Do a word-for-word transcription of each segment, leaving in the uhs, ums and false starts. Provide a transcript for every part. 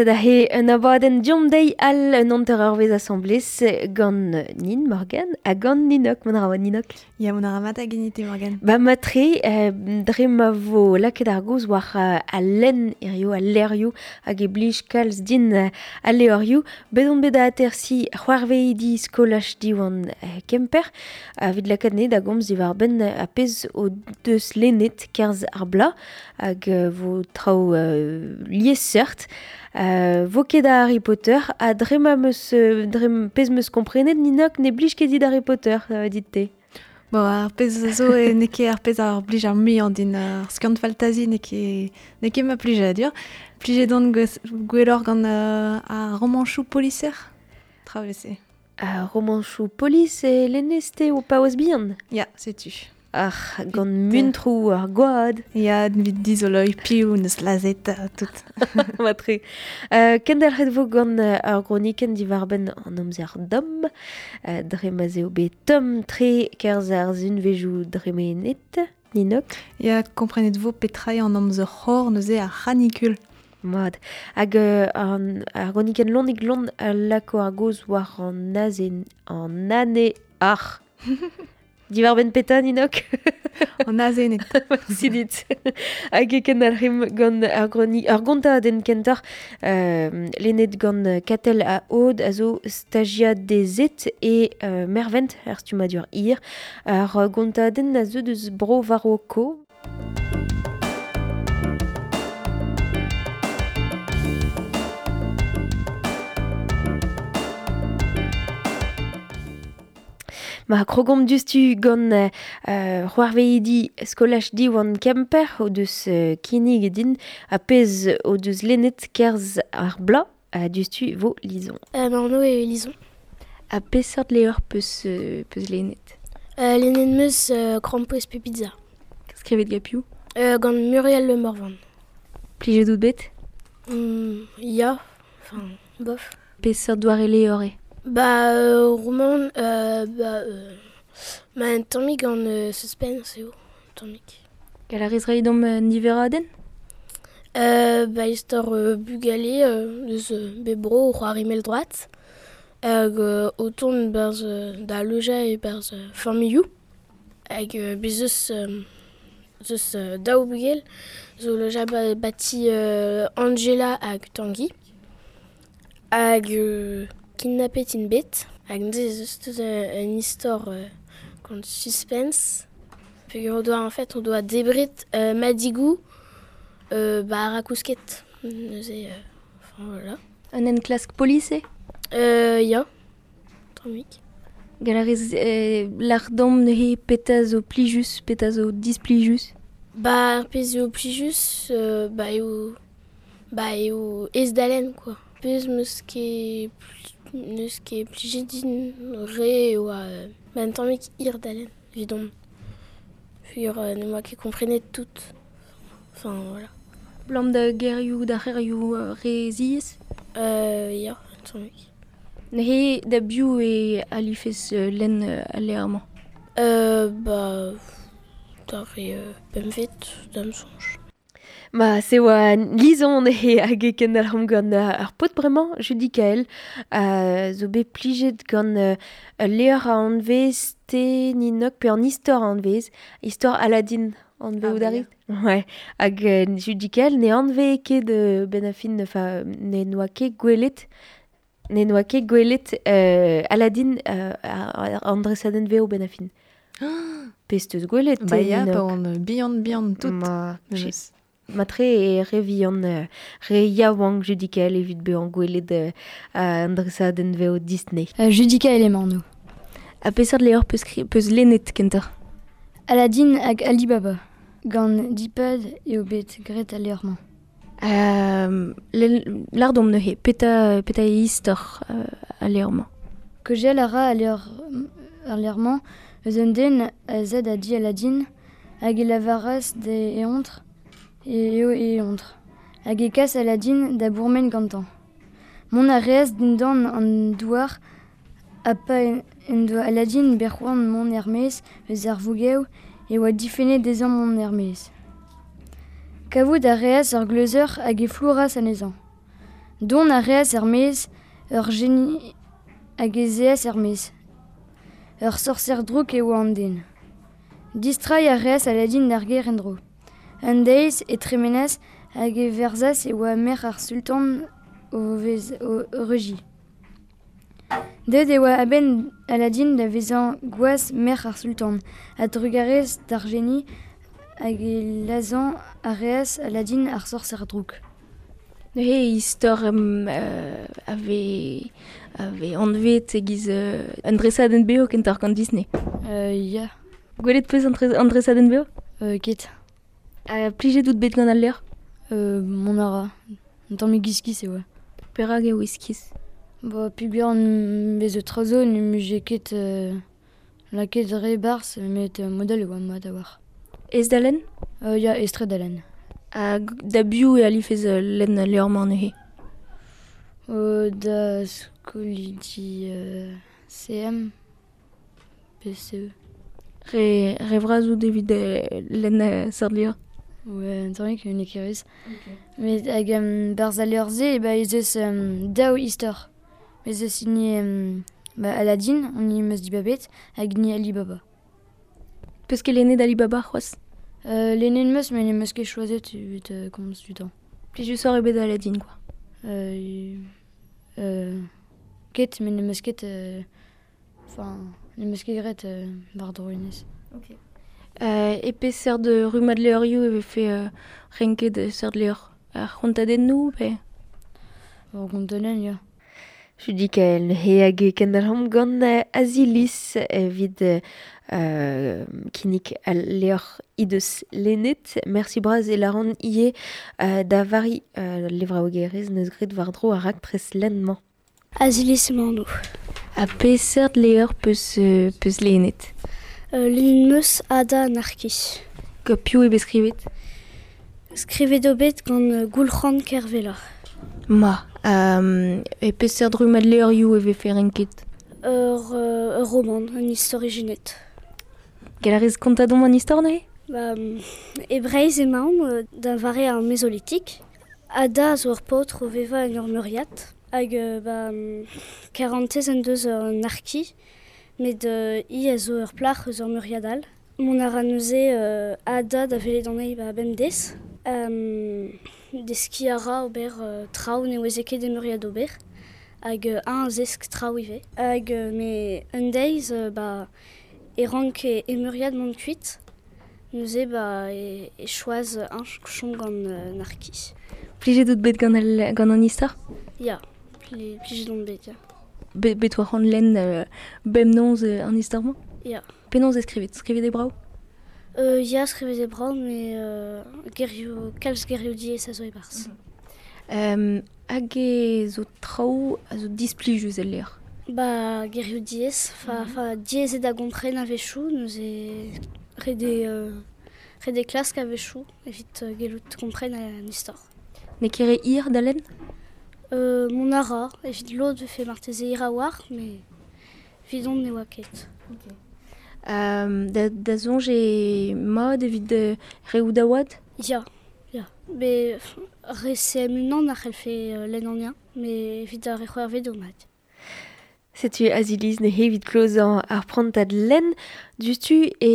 Sed ahe un abadenn diom deiz al un hanter eurvezh asambles gant Nin Morgan ha gant Ninok, mont a ra Ninok. Ya, mont a ra mat hag enite Morgan. Ba matre, euh, dre ma vo lakaet ar goz war uh, al lenn hirio, al leurioù hag e blij kalz din uh, al leurioù. Bet on bet da atersi c'hoarveidi skolaj Diwan uh, Kemper, evit lakaat ne da gomz diwar benn a pezh o deus lennet kerzh ar bla hag uh, vo traoù uh, liesseurt. Euh, vo ket da Harry Potter, ha dre ma meus, dre pezh meus komprenet, Ninok ne blij ket dit Harry Potter, euh, dit-te. Bon, ar pezh zo e n'eo ket ar pezh ar blij ar muiañ din ar skiant faltazi n'eo ket n'eo ket ma plijadur. Plijet on gwelloc'h gant euh, ar romanchoù poliser. Traoù se. Ar romanchoù polis e lennez-te o paouez bihan? Ya, setu. Ar gant muntroù ar gwad. Ya, evit dizoloi piv neus lazet tout. Matre. Euh, kendelc'het vo gant ar gronikenn diwar-benn an amzer domm. Euh, dre ma 'z eo bet tomm tre kerzh ar sunvezioù dremenet, Ninok. Ya, komprenet vo petra eo an amzer c'hor neuze ar c'hanikul. Mat. Hag euh, an, ar gronikenn lonnig lon a lako ar goz war an azen, an ane ar. Diwar-benn peta, Ninok? An azenet. Merci dit. Hag e ken ar rim gant ar groni, ar gontadenn kentoc'h, euh, lennet gant Katell a Aude a zo stagiadezet e euh, mervent ar stummadur hir. Ar gontadenn a zo deus bro Varoko. Ma krogomp diouzhtu gant euh, c'hoarveidi skolaj Diwan Kemper o deus euh, kinnig din a pezh o deus lennet kerzh ar bla a diouzhtu vo Lison. Euh, ma anv eo Lison. A peseurt levr peus, euh, peus lennet? Euh, lennet meus euh, krampouezh pe pizza. Skrivet gant piv? Euh, gant Muriel Le Morvan. Plijet out bet? Mm, ya, enfin, bof. Peseurt doare levr eo? Ba, euh, roman, euh, ba, euh, ma un tammig gant euh, suspense eo, tammig. Gall a rez reiñ deomp euh, niveradenn? Euh, ba, istor euh, bugale euh, deus euh, bebro o c'hoari mell-droad, hag euh, o tont berzh euh, da lojañ e berzh euh, familhoù, hag euh, bez eus, euh, eus euh, daou bugel zo lojañ ba, bati euh, Angela hag Tanguy, hag euh, kidnappet int bet, hag neuze ez eus deus un istor euh, gant suspense. Peogwir on doa, en fait, on doa debret euh, madigou euh, ba ar akousket. Neuze, euh, enfin voilà. Un enklask polis eo? Euh, ya, tammig. Gall a rez euh, lâr deomp neuze petra zo plijus, petra zo displijus? Ba, ar pezh eo plijus, euh, ba eo, ba eo aes da lenn, quoi. Pezh meus ket neus ket plijet din re eo a ba un tammig hir da lenn, evidon. Peogwir euh, ne moa ket komprenet tout. Enfin, voilà. Blam da gerioù, da c'herioù euh, re ziaes? Euh, ya, un tammig. Neuze da biv e alifez euh, lenn euh, al levr-mañ? Euh, ba, da re euh, pempvet, da'm soñj. Ma, se oa Lison e hag e kendalc'homp gant ar paotr bremañ, Judicaël, euh, zo bet plijet gant euh, ul levr a anvez te Ninok, pe an istor a anvez, istor Aladdin anvez Ah, out ba, arit? Ouais, hag euh, Judicaël ne anvez ket euh, ben a fin, enfin, ne noa ket gwelet, ne noa ket gwelet euh, Aladdin euh, an dresadenn veo ben a fin. Pezh teus gwelet, Ba ya, Ninok. pa on bihan bihan tout. Ma, Meus. Matre e re vihan, euh, re yaouank Judicaël evit bezañ gwelet euh, an dresadenn veo Disney. Euh, Judicaël emañ anv. A peseurt levr peus kri-, peus lennet kentoc'h? Aladdin hag Alibaba. Gant Dipad eo bet graet al levr-mañ. Euh, lâr deomp neuze, petra, petra eo istor euh, al levr-mañ? Kaozeal a ra al levr, al levr-mañ eus un den a zad a di Aladdin hag e lavaras d'e eontr e eo e eontr. Hag e kas Aladdin da bourmen gantañ. Mont a reas dindan an douar ha pa en doa Aladdin bet c'hoant mont er-maez eus ar vougev e oa difennet dezhañ mont er-maez. Kavout a reas ur gleuzeur hag e flouras anezhañ. Dont a reas er maez ur geni hag ez eas er maez. Ur sorser drouk e oa an den. Distrai a reas Aladin d'ar gêr en-dro. Un deiz e tremenas hag e verzas e oa merc'h ar sultan o vez o reuji. Deut e oa a-benn Aladin da vezañ gwaz merc'h ar sultan, a drugarez d'ar geni hag e lazhañ a reas Aladin ar sorser drouk. Neuze istor um, euh, ave, ave anvet e-giz euh, un dresadenn beo kentoc'h gant Disney. Euh, ya. Gwelet peus an, an dresadenn beo? Euh, ket. Uh, plijet out bet gant al levr? Euh, mon ara. Un tamm iskis e oa. Perak eo iskis? Ba, peogwir an bez eus traoù ne mije ket euh, lakaet re barzh, met euh, model e oa mat a-walc'h. Ez da lenn? Euh, ya, ez-tre da lenn. Ha da biv e alifez lenn al levr-mañ neuze? Euh, da skolidi euh, C M, P C E. Re, re vras out evit lenn seurt levr? Ouais, un tammig n'eo ket ruz. Okay. Met hag um, barzh al levr-se, ba ez eus um, daou istor. Ez eus hini um, ba, Aladin, an hini 'm eus dibabet, hag hini Ali Baba. Peus ket lennet Ali Baba c'hoazh? Euh, lennet 'm eus, met n'em eus ket choazet evit euh, komz du temps. Plijusoc'h eo bet Aladin, quoi. Euh, euh, ket, met n'em eus ket... Enfin, euh, n'em eus ket graet euh, war-dro hennezh. Ok. Euh, e peseurt de rummad levrioù e vefe euh, renket seurt levr? Ar c'hontadennoù pe? Ar gontadenn, ya. Judicael he hag e kendalc'homp gant Azilis evit euh, kinnig al levr he deus lennet. Merci bras e laran ivez euh, da Vari euh, levraouegerez neus graet war-dro ar raktres lenn-mañ. Azilis emañ anv. Ha peseurt levr peus, euh, peus lennet? Euh, lennet 'm eus Ada Anarki. Gant piv eo bet skrivet? Skrivet eo bet gant Goulc'han Kervella. Ma, euh, e peseurt rummad levrioù e vefe renket? Ur, euh, ur roman, un istor ijinet. Gall a rez kontañ deomp an istor neuze? Ba, e Breizh emaomp da vare ar Mezolitik. Ada zo ur paotr o vevañ en ur meuriad. Hag ba, karantez en deus an Arki, met euh, hi a zo ur plac'h eus ur meuriad all. Mont a ra neuze euh, Ada da welet anezhi ba bemdez. Um, deskiñ a ra ober euh, traoù ne oueze ket e meuriad ober. Hag euh, un a zesk traoù ivez. Hag euh, me un deiz euh, ba, e rank e, e meuriad mont kuit. Neuze ba, e, e choaz un chom gant euh, Narki. Plijet out bet gant, al, gant an istor? Ya, pli, plijet on bet, ya. Be, bet oa c'hoant lenn euh, bemnoz euh, an istor-mañ? Ya. Penaos e skrivet? Skrivet e brav? Euh, ya, skrivet e brav, met euh, gerioù, kalz gerioù diaes a zo e-barzh. Mm-hmm. Um, hag e zo traoù a zo displijus el levr? Ba, gerioù diaes, fa, mm-hmm. fa diaes eo da gompren a-wechoù, neuze ret eo, euh, ret eo klask a-wechoù evit euh, gellout kompren an istor. N'eo ket re hir da lenn? Euh, mont a ra, evit lod vefe marteze hir a-walc'h, met evidon ne oa ket. Okay. Um, da, da soñj eo mat evit euh, reoù da oad? Ya, ya. Met re C M unan a c'hellfe euh, lenn an ien, met evit ar re c'hwec'hvet eo mat. Setu Azilis neuze evit klozañ ar prantad lenn diouzhtu e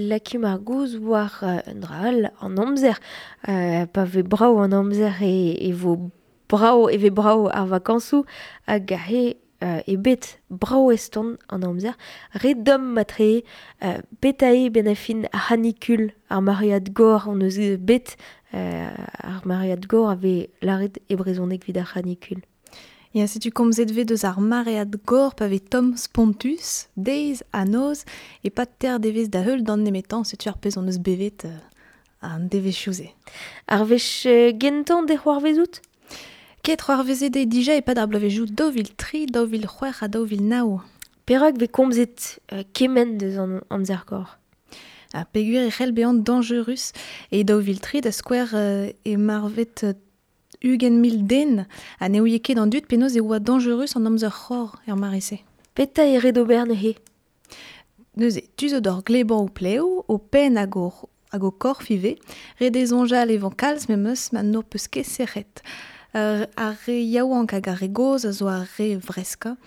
lakaomp ar gouz war un dra all an amzer. Euh, pa vez brav an amzer e, e vo brav e vez brav ar vakañsoù hag he euh, e bet brav eston an amzer. Re domm matre euh, betae ben a fin ar c'hanikul ar maread gor on eus bet euh, ar maread gor a vez lâret e brezhoneg evit ar c'hanikul. Ya, setu komzet vez deus ar maread gor pa vez tomm spontus, deiz ha noz, e pa ter devez da heul d'an nemetañ, setu ar pezh on eus bevet euh, an devezhioù-se. Ar wech euh, gentañ de c'hoarvezout? Ket c'hoarvezet eo dija e-pad ar bloavezhioù daou vil tri, daou vil c'hwec'h ha daou vil nav. Perak vez komzet euh, kement deus an amzer gor? Ha peogwir e c'hell bezañ dañjerus e daou vil tri da skouer euh, e marvet euh, ugent mil den ha ne ouie ket an dud penaos e oa dañjerus an amzer c'hor er mare-se. Petra eo ret ober neuze? Neuze, tu zo d'or glebañ o plev, o penn hag o, hag o korf ivez, ret eo soñjal evañ kalz memes ma n'ho peus ket sec'hed. Uh, ar re yaouank hag ar re goz a zo ar re vreska.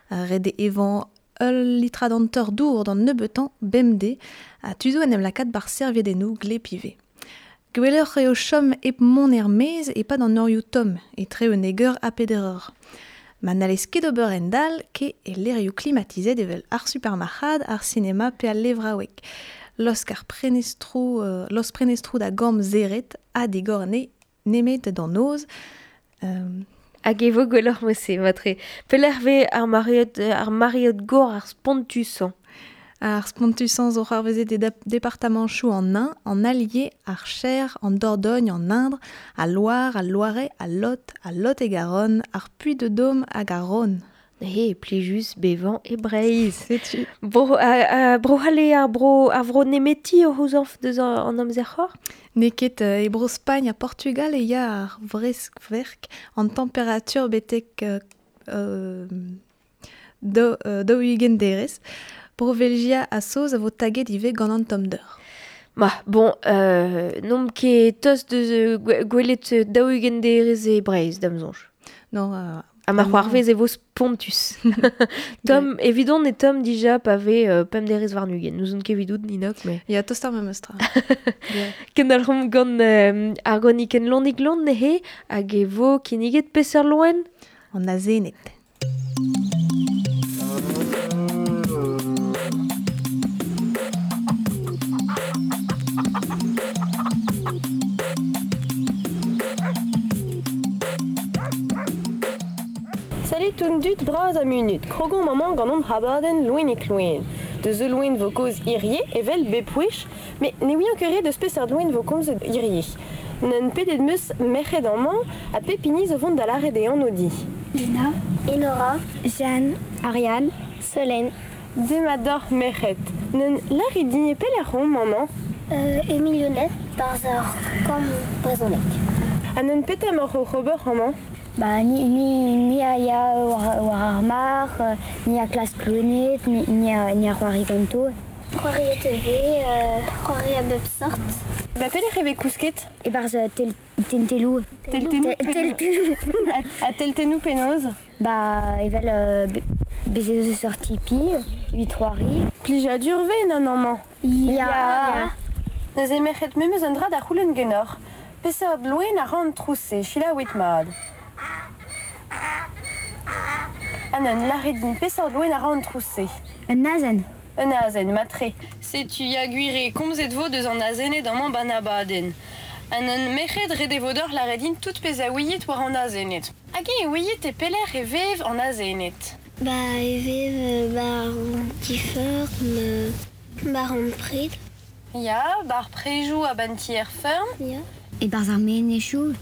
Ar re de evan ul litrad an teur dour d'an nebeutañ bemde a tuzo en em lakaat bar serviedennoù glepive. Gwelloc'h eo chom hep mont er maez e pad an eurioù tomm, etre un eur ha peder eur. Ma n'allez ket ober en dal ke e lerioù klimatizet evel ar supermarc'had, ar sinema pe al levraoueg. Losk ar prenestrou, euh, los prenestrou da gambr zeret ha digorne nemet d'an noz. Euh, Hag e vo gwelloc'h mose, matre. Pelec'h ve ar mariot, ar mariot gor ar spontusañ. Ar spontusañ zo c'hoarvezet e departamanchoù an Ain, an Allier, ar Cher, an Dordogne, an Indre, al Loire, al Loiret, al Lot, al Lot-et-Garonne, ar Puy-de-Dôme hag ar Rhône. He, plijus bevañ e Breizh. Setu. Bro, a, a, bro c'halle ar bro, ar vro nemeti o c'houzañv deus an amzer c'hor? N'eo ket e bro Spagn ha Portugal e ya ar vreskverk an temperatur betek euh, do, euh, daou-ugent derez. Bro Belgia a Saoz a vo taget ivez gant an tommder. Ma, bon, euh, n'omp ket tost deus gwelet daou-ugent derez e Breizh, da'm soñj. Non, euh, A ma c'hoarvez e vo spontus. Tom, evidon e Tom dija pa ve euh, pemp derez warn-ugent. N'ouzon ket evidout, Ninok, mais... Ya, tost ar memes tra. yeah. Kendalc'homp gant euh, ar gronikenn Lonig Lon nehe, hag e vo kinniget peseurt loen? An azened. Salut tout dut bras a munut, krogon maman gant an habaden loen e kloen. Deus eul loen vo koz irie, evel bepouech, mais ne ouian ket deus peseurt loen vo komz irie. N'en pedet meus merc'hed amañ ha pepini zo vont da lâret e anv di. Lina, Enora, Jeanne, Ariane, Solène. Demat merc'hed. N'en lâret din e pelec'h on maman? Euh, Emilionet, barz ar kamp brezhoneg. Ha n'en petra emaoc'h oc'h ober amañ? Ba, ni, ni, ni a ya war, war ar mar, ni a klas klonet, ni, ni a, ni a c'hoari ganto. C'hoari a T V, euh, c'hoari a bep sort. Ba pelec'h e vez kousket? E barz tel, tentelou. Teltenou? Teltenou. A teltenou penaos? Ba, evel euh, bezet eus ur tipi, evit c'hoari. Plijadur ve nan amañ? Ya. Ya. Neuze merc'hed memes un dra da c'houlenn genoc'h. Peseurt loen a ran trouse, selaouit mat. An un lâret din peseurt loen a ran trouse. Un azen. Un azen, matre. Setu ya gwir komzet vo deus an azened amañ ban abadenn. An un merc'hed ret e vo deoc'h lâret din tout pezh a ouiit war an azened. Hag e ouiit e pelec'h e vev an azened? Ba e vev bar an ti-feurm, bar an pred. Ya, bar prejoù a ban ti er feurm. Ya. E barz ar menezioù.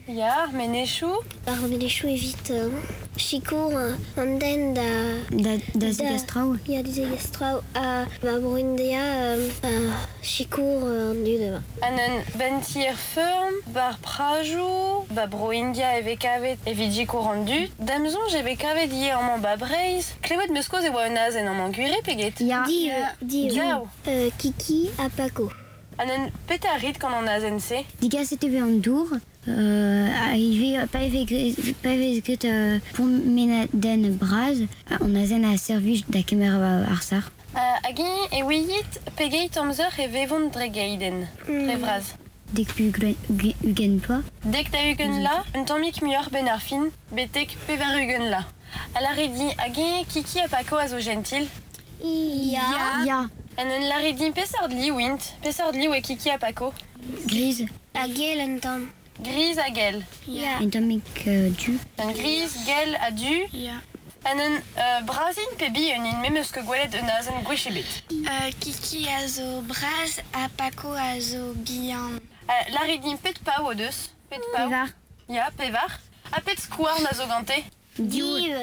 Ya, ar menezioù. Ar menezioù evit euh, sikour an den da... Da, da zegas traoù. Ya, da zegas traoù. Ha ba Bro-India, euh, sikour an dud. An un ben ti er feurm, bar prajoù, ba Bro-India e vez kavet evit sikour an dud. Da'm soñj e vez kavet ivez amañ ba Breizh. Klevet meus koz e oa un azen amañ gwir peget? Ya. Di, di, Diaou. Euh, Kiki ha Paco. An un petra rit gant an azen-se? Digaset e vez an dour. Euh, arrivé, pa vez pa vez ket euh, promenadenn bras, an azen a servij da kemer ar sar. Uh, hag e ouiit pegeit amzer e vevont dre geiden, dre vras. Dek ugent ploaz. Dek da ugent la, un tammig muioc'h ben ar fin, betek pevar ugent la. A lâret din hag e Kiki ha Paco a zo gentil? Ya. Ya. An un lâret din peseurt liv int, peseurt liv e Kiki ha Paco? Gris. Ha gell un tamm. Gris ha gell. Ya. Un tammig euh, du. Un gris, gell ha du. Ya. An un euh, brazin pe bihan int memes ket gwelet un azen gwech ebet. Euh, Kiki a zo braz ha Paco a zo bihan. Uh, lâret din pet pav o deus? Pet pav? Pevar. Ya, pevar. Ha pet skouarn a zo gante? Div.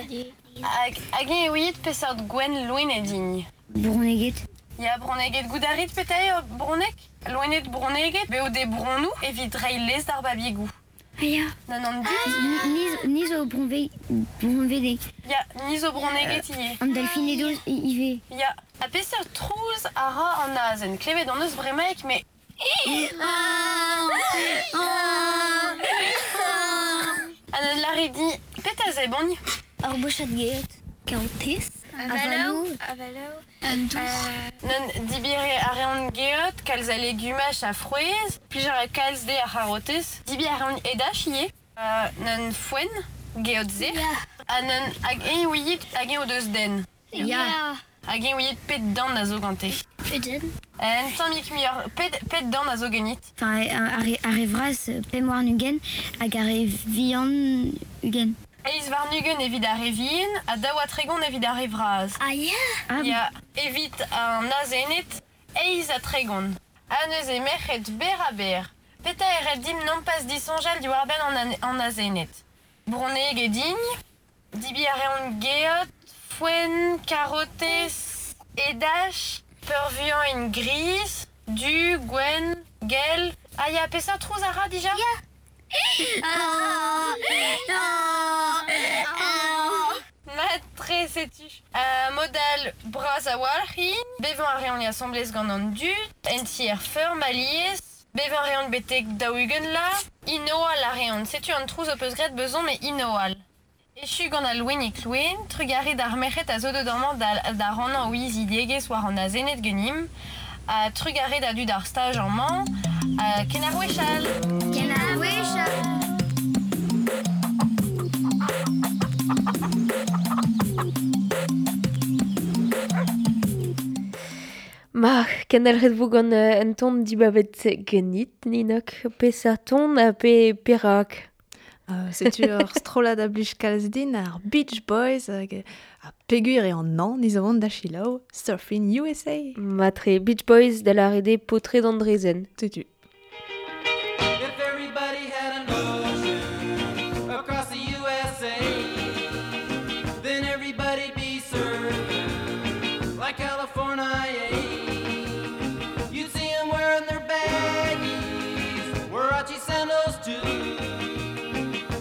Hag, hag e ouiit peseurt gwenn loen e din? Bronneged. Ya, bronneged goût a rit petra eo bronneg? Loened bronneged, beo de bronnoù evit reiñ lez d'ar babigoù. Ah ya. Nan an dud? Ni, ni zo bronve, bronvedeg. Ya, ni zo bronneged ivez. An delfinedo ivez. Ya, ha peseurt trouz a ra an azen. Klevet an eus bremaik, mais... An laridi, pet a zebon? Ur bochat geot. Kaotez. Avaloù. Avaloù. An dour. Non dibire a reont geot, kalz a legumach a frouezh, plijar a kalz de ar c'harotez. Dibi a reont edach ivez. Uh, non foen, geot ze. Ya. Ha non hag eñ ouiet hag eñ o deus den. Ya. Hag eñ ouiet pet dant a zo gante. Eden. Un tammig muioc'h, pet, pet dant a zo genit. Enfin, ar re, ar re vras pemp warn-ugent hag ar re vihan ugent. Eiz warn-ugent evit ar re vihan ha daou ha tregont evit ar re vras. Ah ya. Ah, Ya, evit an azened, eiz ha tregont. Ha neuze merc'hed ber ha ber. Peta e ret dimp nompas disoñjal diwar-benn an, an, an azened. Bronneg e dign, dibi a reont geot, foenn, karotez, edach, peurvuiañ en gris, du, gwenn, gell. Ah ya, peseurt trouz a ra dija? Ya. Ah, ah, ah. Matre setu. Uh, modal bras a-walc'h int, bevañ a reont asambles gant an dud, en tier feurm alies, bevañ a reont betek daou-ugent la, inoal a reont. Setu an trouz o peus graet bezon me inoal. Echu gant al loenig loen, trugarez d'ar merc'hed a zo deut amañ da, da rannañ o izidigezh war an azened genimp, ha trugarez da dud ar staj amañ, ha ken ar wechall. Ken ar wechall. Ma, kendalc'het vo gant euh, un ton dibabet genit, Ninok, peseurt ton ha pe perak. Uh, setu ur strollad a blij kalz din ar Beach Boys hag a pegur e an an iz vont da chilaou Surfing U S A. Matre, Beach Boys da la rede potred Andrezen. Setu. If everybody had an ocean across the U S A, then everybody'd be surfing like California. You'd see 'em wearing their baggies, Warachi sandals too,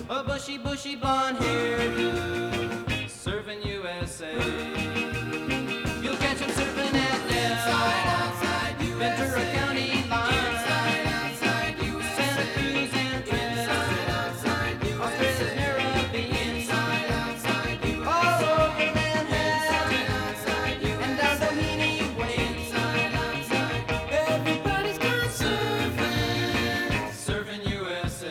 a bushy, bushy blonde hairdo, surfing U S A. You'll catch 'em surfing at Del, Ventura County line, Santa Cruz and Fresno, Australia's Narrabeen, all over Manhattan, and down Doheny Way. Everybody's gone surfing, surfing U S A.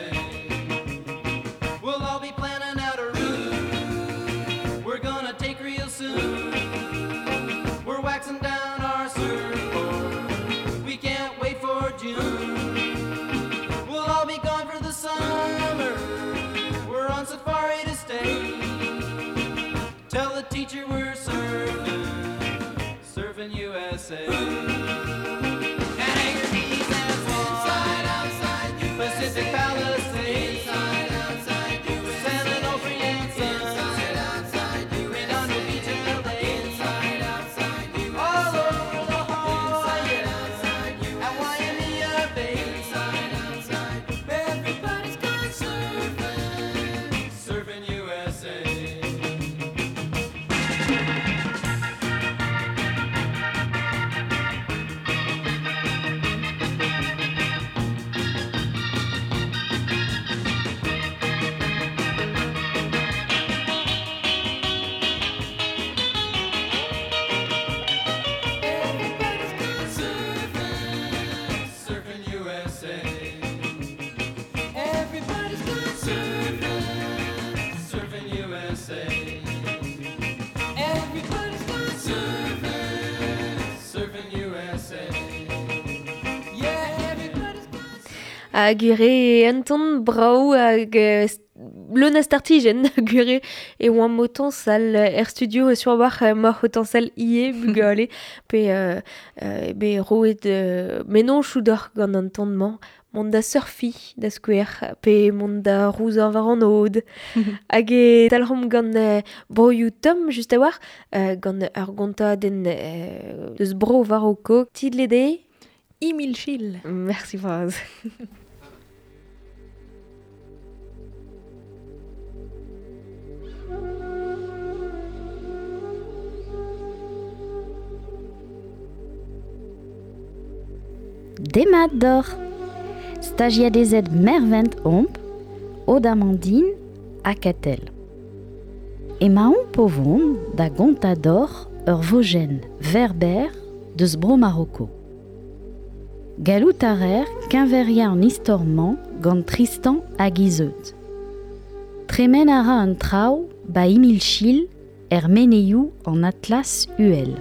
We'll all be planning out a route we're gonna take real soon. We're waxing down our surfboard, we can't wait for June. We'll all be gone for the summer, we're on safari to stay. Tell the teacher we're surfing, surfing U S A. And Hagerty's and Swan, Pacific Palisades, San Onofre and Sunset, Redondo Beach, L A, all over La Jolla, at Waimea Bay. Everybody's gone surfing, surfing U S A. Everybody's gone surfing, surfing U S A. Everybody's gone surfing, surfing U S A. Everybody's gone surfing, surfing U S A. Yeah, everybody's gone surfing. Ha gure un ton brao hag euh, leun a startijenn gure e oan motan sal er studio sur war moc'h otan sal ie bugale pe euh, euh, be roet euh, menon choudor gant an ton-mañ mont da surfi da skouer pe mont da rouzañ war an od hag e talc'homp gant euh, broioù tomm just a war euh, gant ur gontadenn euh, deus bro war o kog tidle de Imilchil. Merci bras. Demat d'or. Stagiadezed Mervent omp, Odamandine ha Katell. Emaon povon da gontador ur vojenn verber deus bro Maroko. Gallout a rer keñveria an istor-mañ gant Tristan hag Izeud. Tremen a ra an traoù ba Imilchil er meneioù an Atlas Uhel.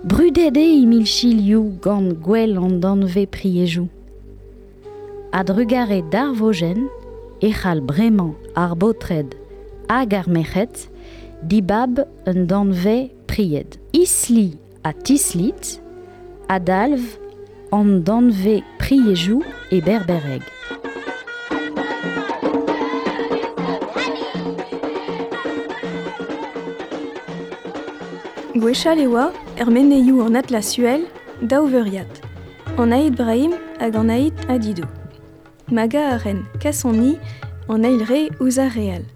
Brudet eo Imilchilioù gant gwell an danve priejoù. A-drugarez d'ar vojenn e c'hall bremañ ar baotred hag ar merc'hed dibab un danve pried. Isli ha Tislit a dalv an danve priejoù e berbereg. Gwechall e oa, er meneioù an Atlas Uhel, daou veuriad. An Aït Brahim hag an Aït Adidou. Maga a ren kasoni an eil re ouzh ar re all.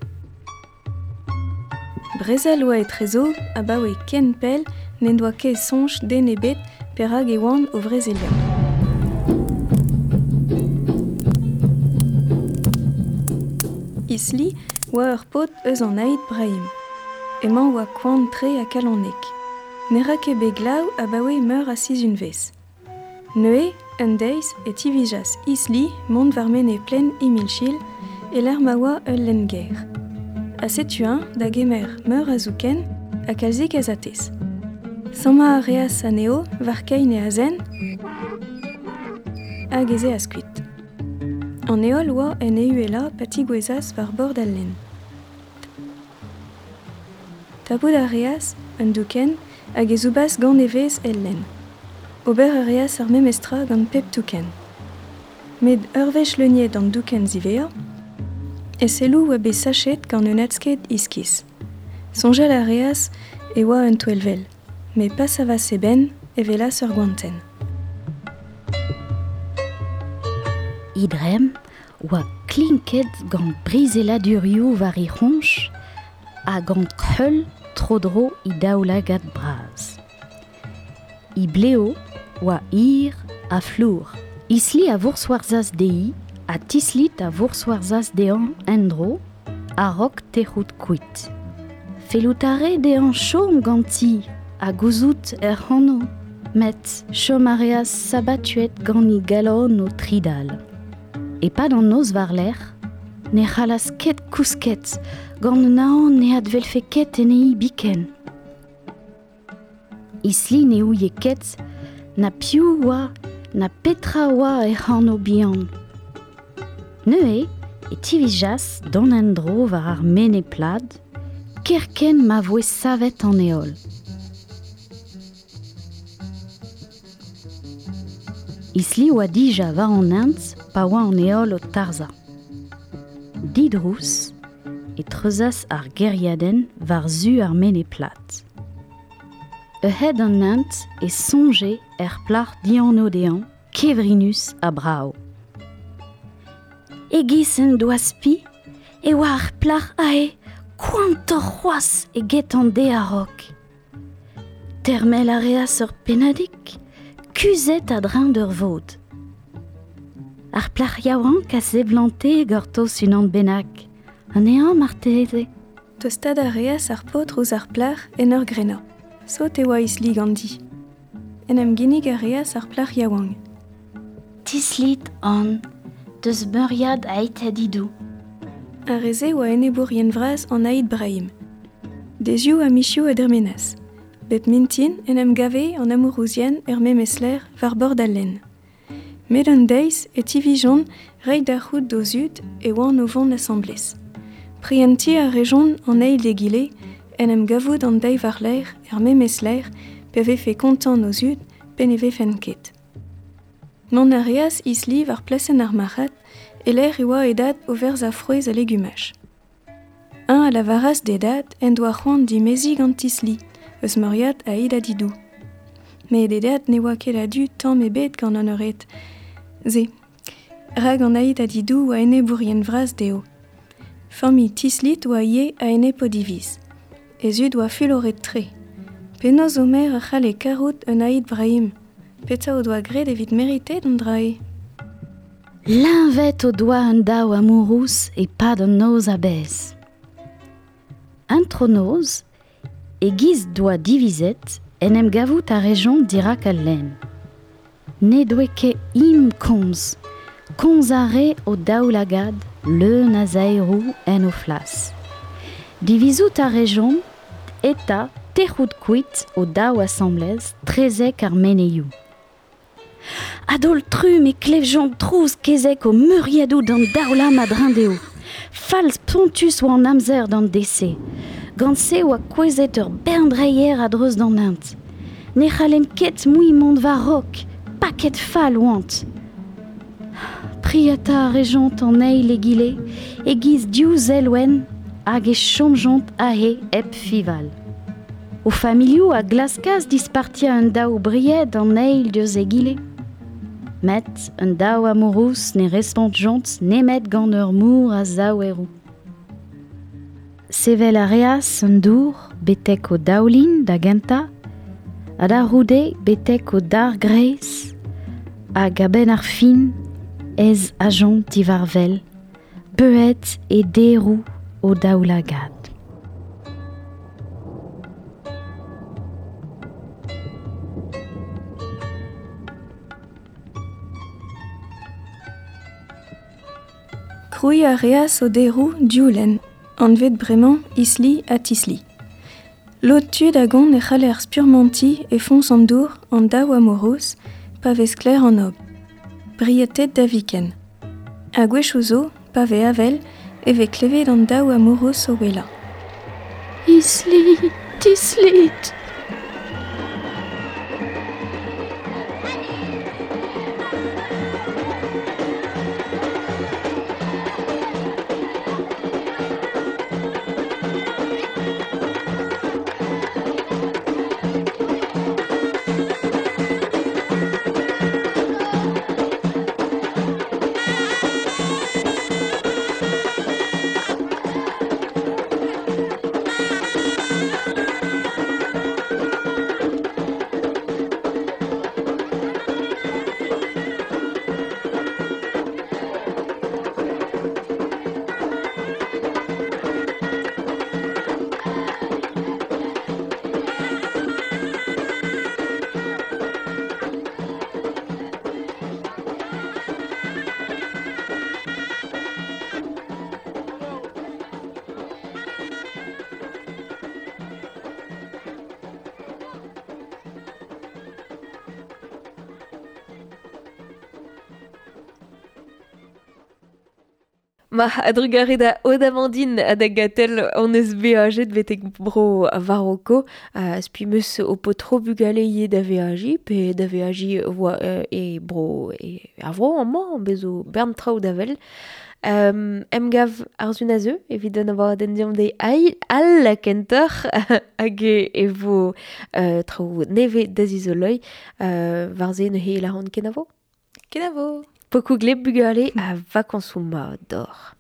Brezel oa etrezo abaoe ken pell n'en doa ket soñj den ebet perak e oant o vrezeliañ. Isli oa ur paotr eus an Aït Brahim. Emañ oa koant-tre ha kalonek. Ne ra ket bet glav abaoe meur a sizhunvezh. Neuze, un deiz e tivijas Isli mont war menez plen Imilchil e lec'h ma oa ul lenn-gêr. Ha setu-eñ da gemer meur a zouken ha kalzik a zatez. Sammañ a reas anezho war kein e azen hag ez eas kuit. An heol oa en e uhelañ pa tigouezas war bord al lenn. Tapout a reas un doukenn hag e zoubas gant e vez el lenn. Ober a reas ar memes tra gant pep toukenn. Met ur wech leuniet an doukenn ziwezhañ, e selloù oa bet sachet gant un adsked iskis. Soñjal a reas e oa un touellvel, met pa savas e benn e welas ur goantenn. He dremm oa klinket gant brizeladurioù war he c'hroñj ha gant kreul tro-dro he daoulagad bras. He bleo oa hir ha flour. Isli a vourswarzhas dezhi ha Tislit a vourswarzhas dezhañ en-dro a-raok tec'hout kuit. Fellout a rae dezhañ chom ganti ha gouzout hec'h anv, met chom a reas sabatuet gant he galon o tridal. E-pad an noz war-lerc'h, ne c'hallas ket kousket gant un aon ne adwelfe ket anezhi biken. Isli ne ouie ket na piv oa na petra oa hec'h anv bihan. Neuze e tivijas dont en-dro war ar menez plat, kerkent ma voe savet an heol. Isli oa dija war an hent pa oa an heol o tarzhañ. Didrouz e treuzas ar gêriadenn war-zu ar menez plat. A-hed an hent e soñje er plac'h dianv dezhañ, kevrinus ha brav. E-giz en doa spi e oa ar plac'h aze koantoc'h c'hoazh eget an deiz a-raok. Termel a reas ur pennadig, kuzhet a-dreñv d'ur vod. Ar plac'h yaouank a seblante gortoz unan bennak, anezhañ marteze. Tostaat a reas ar paotr ouzh ar plac'h en ur grenañ. Sot e oa Isli ganti. En em ginnig a reas ar plac'h yaouank. Tislit an deus meuriad Aït Adidou. Ar re-se oa enebourien vras an Aït Brahim. Dezioù ha mizioù a dremenas. Bep mintin en em gave an amourouzien er memes lec'h war bord al lenn. Met un deiz e tivijont reiñ da c'hoût d'o zud e oant o vont asambles. Prientiñ a rejont an eil d'egile en em gavout an deiz war-lerc'h er memes lec'h pe vefe kontant o zud pe ne vefent ket. Mont a reas Isli war plasenn ar marc'had e lec'h e oa e dad o verzañ frouezh ha legumaj. Un a lavaras d'e dad en doa c'hoant dimeziñ gant Tisli, eus meuriad Aït Adidou. Met e dad ne oa ket a-du tamm ebet gant an eured. Se, rak an Aït Adidou oa enebourien vras dezho. Familh Tislit oa ivez a-enep o diviz. E zud oa fuloret-tre. Penaos o merc'h a c'halle karout un Aït Brahim. Petra o doa graet evit meritet an dra-se. L'invet o doa un daou amourous e pad an noz a bez. Un tronoz, e giz doa divizet en em gavout a rejont dirak al lenn. Ne doe ket im komz, komz a re o daoulagad leun a zaerou en o flas. Divizout a rejont eta tec'hout kuit o daou asamblez trezek ar meneiou. Adol trum e klevjont trouz kezek o meuriadou d'an daoulam a drindeo. Falz pontus oa an amzer d'an dese. Gant se oa kouezet ur berndreier a dreuz d'an int. Ne c'hallen ket mui mont war rok, paket fall oant. Priata a rejont an eil egile, e giz div zelwenn hag e chomjont ahe hep fival. O familiou a glaskaz dispartia un daou bried an eil deus egile. Met un daou amourous ne respontjont nemet gant ur mour a zaouerou. Sevel a reas un dour betek o daoulin da genta, ha da roude betek o dar greiz, hag a-benn ar fin ez ajont divarvel, beuet e derou o daoulagad. Krouiñ a reas o derou dioulenn, anvet bremañ Isli ha Tisli. Lod tud a gont e c'haller spurmantiñ e foñs an dour an daou amourous pa vez sklaer an ob. Brietet da viken. Ha gwechoù zo, pa vez avel, e vez klevet an daou amourous o ouelañ. Isli, Tislit. Ma adrugare da Odamandine a da gatel on eus beajet betek bro Varoko uh, spi meus o potro bugale ye da veaji pe da veaji voa uh, e bro e ar vro amañ bezo bern traoù da vel. Um, emgav ar zun a zeu, evit an abadenn den diom de ai al kentoc'h hag e vo uh, traoù neve da zizoloi uh, war ze neuze laran kenavo. Kenavo. Pokou gleb bugale a vakansoù mat d'or.